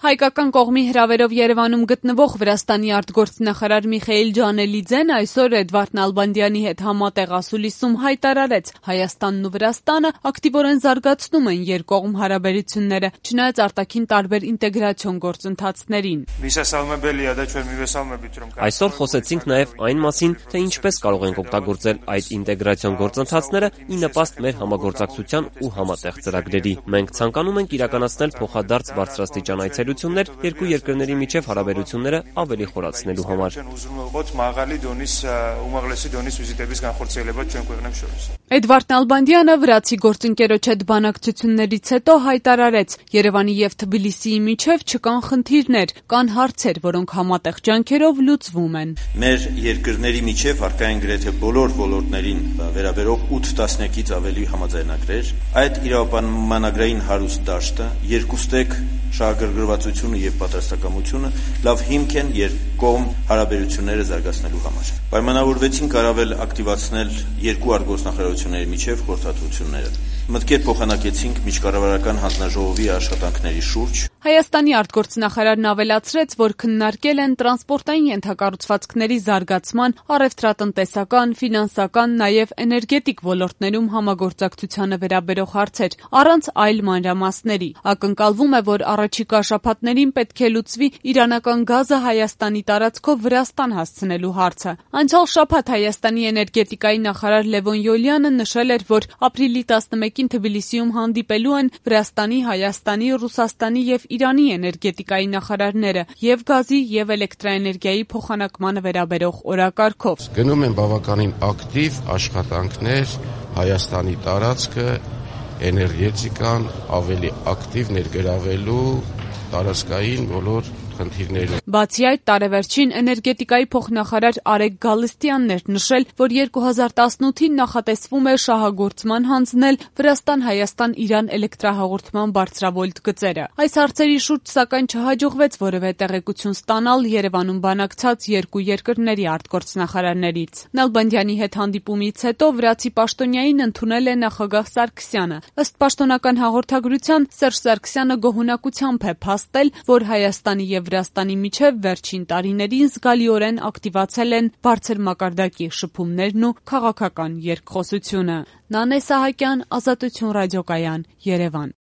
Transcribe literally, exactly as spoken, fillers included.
Հայկական կողմի հրավերով Երևանում գտնվող Վրաստանի արտգործնախարար Միխայիլ Ջանելիձեն այսօր Էդվարդ Նալբանդյանի հետ համատեղ ասուլիսում հայտարարեց՝ Հայաստանն ու Վրաստանը ակտիվորեն զարգացնում են երկկողմ հարաբերությունները, չնայած արտաքին տարբեր ինտեգրացիոն գործընթացներին։ Այսօր խոսեցինք նաև այն մասին, թե ինչպես կարող ենք օգտագործել այդ ինտեգրացիոն գործընթացները ի նպաստ մեր համագործակցության ու համատեղ ծրագրերի։ Մենք ցանկանում ենք իրականացնել փոխադարձ բարձրաստիճան այցելություններ երկու երկրների միջև հարաբերությունները ավելի խորացնելու համար։ Էդվարդ Նալբանդյանը վրացի գործընկերոջ հետ բանակցություններից հետո հայտարարեց՝ Երևանի և Թբիլիսիի միջև չկան խնդիրներ, կան հարցեր, որոնք համատեղ ջանքերով լուծվում են։ Մեր երկրների միջև առկա են գրեթե բոլոր ոլորտներին վերաբերող ութ տասնյակից ավելի համաձայնագրեր։ Այդ իրավապայմանագրային հարուստ դաշտը, երկուստեք շահագրգռվածությունը եւ պատրաստակամությունը լավ հիմք են երկկողմ հարաբերությունները զարգացնելու համար։ Պայմանավորվեցինք առավել ակտիվացնել երկու արտգործնախարարությունների միջև խորհրդատվությունները։ Մտքեր փոխանակեցինք միջկառավարական հանձնաժողովի աշխատանքների շուրջ։ Հայաստանի արտգործնախարարն ավելացրեց, որ քննարկել են տրանսպորտային ենթակառուցվածքների զարգացման, առևտրատնտեսական, ֆինանսական, նաև էներգետիկ ոլորտներում համագործակցությանը վերաբերող հարցեր, առանց այլ մանրամասների։ Ակնկալվում է, որ առաջիկա շաբաթներին պետք է լուծվի իրանական գազը Հայաստանի տարածքով Վրաստան հասցնելու հարցը։ Անցյալ շաբաթ Հայաստանի էներգետիկայի նախարար Լևոն Յոլյանը նշել էր, որ ապրիլի տասնմեկին Թբիլիսիում հանդիպելու են Վրաստանի, Հայաստանի, Ռուսաստանի և Իրանի էներգետիկայի նախարարները և գազի և էլեկտրաէներգիայի փոխանակմանը վերաբերող օրակարգով։ Գնում են բավականին ակտիվ աշխատանքներ Հայաստանի տարածքը էներգետիկան ավելի ակտիվ ներգրավելու տարածքային բոլոր խնդիրներում։ Բացի այդ, տարեվերջին էներգետիկայի փոխնախարար Արեգ Գալստյանն էր նշել, որ երկու հազար տասնութին նախատեսվում է շահագործման հանձնել Վրաստան-Հայաստան-Իրան էլեկտրահաղորդման բարձրավոլտ գծերը։ Այս հարցերի շուրջ սակայն չհաջողվեց որևէ տեղեկություն ստանալ Երևանում բանակցած երկու երկրների արտգործնախարարներից։ Նալբանդյանի հետ հանդիպումից հետո վրացի պաշտոնյային ընդունել է նախագահ Սարգսյանը։ Ըստ պաշտոնական հաղորդագրության, Սերժ Սարգսյանը գոհունակությամբ է փաստել, որ Հայաստանի և Վրաստանի միջև վերջին տարիներին զգալիորեն ակտիվացել են բարձր մակարդակի շփումներն ու քաղաքական երկխոսությունը։ Նանե Սահակյան, Ազատություն ռադիոկայան, Երևան։